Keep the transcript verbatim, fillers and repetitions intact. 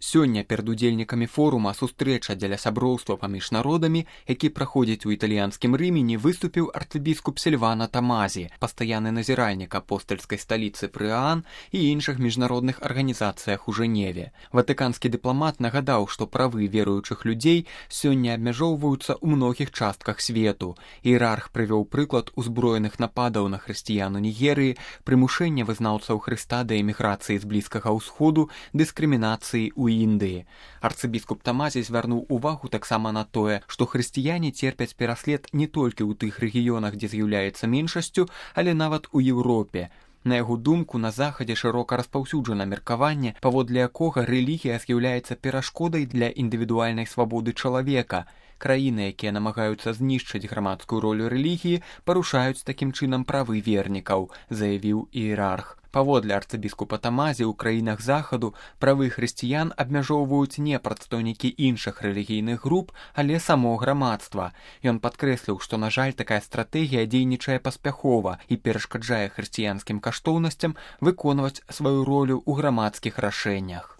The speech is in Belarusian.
Сёння перад удзельнікамі форума сустрэча дзеля сяброўства паміж народамі, які праходзіць у італьянскім Рымені, выступіў арцыбіскуп Сільвано Томазі, пастаянны назіральнік апостальскай сталіцы пры ААН і іншых міжнародных арганізацыях у Жэневе. Ватыканскі дыпламат нагадаў, што правы веруючых людзей сёння абмяжоўваюцца ў многіх частках свету. Іерарх прывёў прыклад узброеных нападаў на хрысціян у Нігерыі, прымушэння вызнаўцаў Хрыста да эміграцыі з Блізкага ўсходу, дыскрымінацыі ў Індыі. Арцыбіскуп Томазі звярнуў увагу таксама на тое, што хрысціяне церпяць пераслед не толькі ў тых рэгіёнах, дзе з'яўляецца меншасцю, але нават у Еўропе. На яго думку, на захадзе шырока распаўсюджана меркаванне, паводле якога рэлігія з'яўляецца перашкодай для індывідуальнай свабоды чалавека. Краіны, якія намагаюцца знішчыць грамадскую ролю рэлігіі, парушаюць такім чынам правы вернікаў, заявіў іерарх. Паводле арцыбіскупа Томазі, у краінах захаду правы хрысціян абмяжоўваюць не прадстаўнікі іншых рэлігійных груп, але само грамадства. Ён падкрэсліў, што, на жаль, такая стратэгія дзейнічае паспяхова і перашкаджае хрысціянскім каштоўнасцям выконваць сваю ролю ў грамадскіх рашэннях.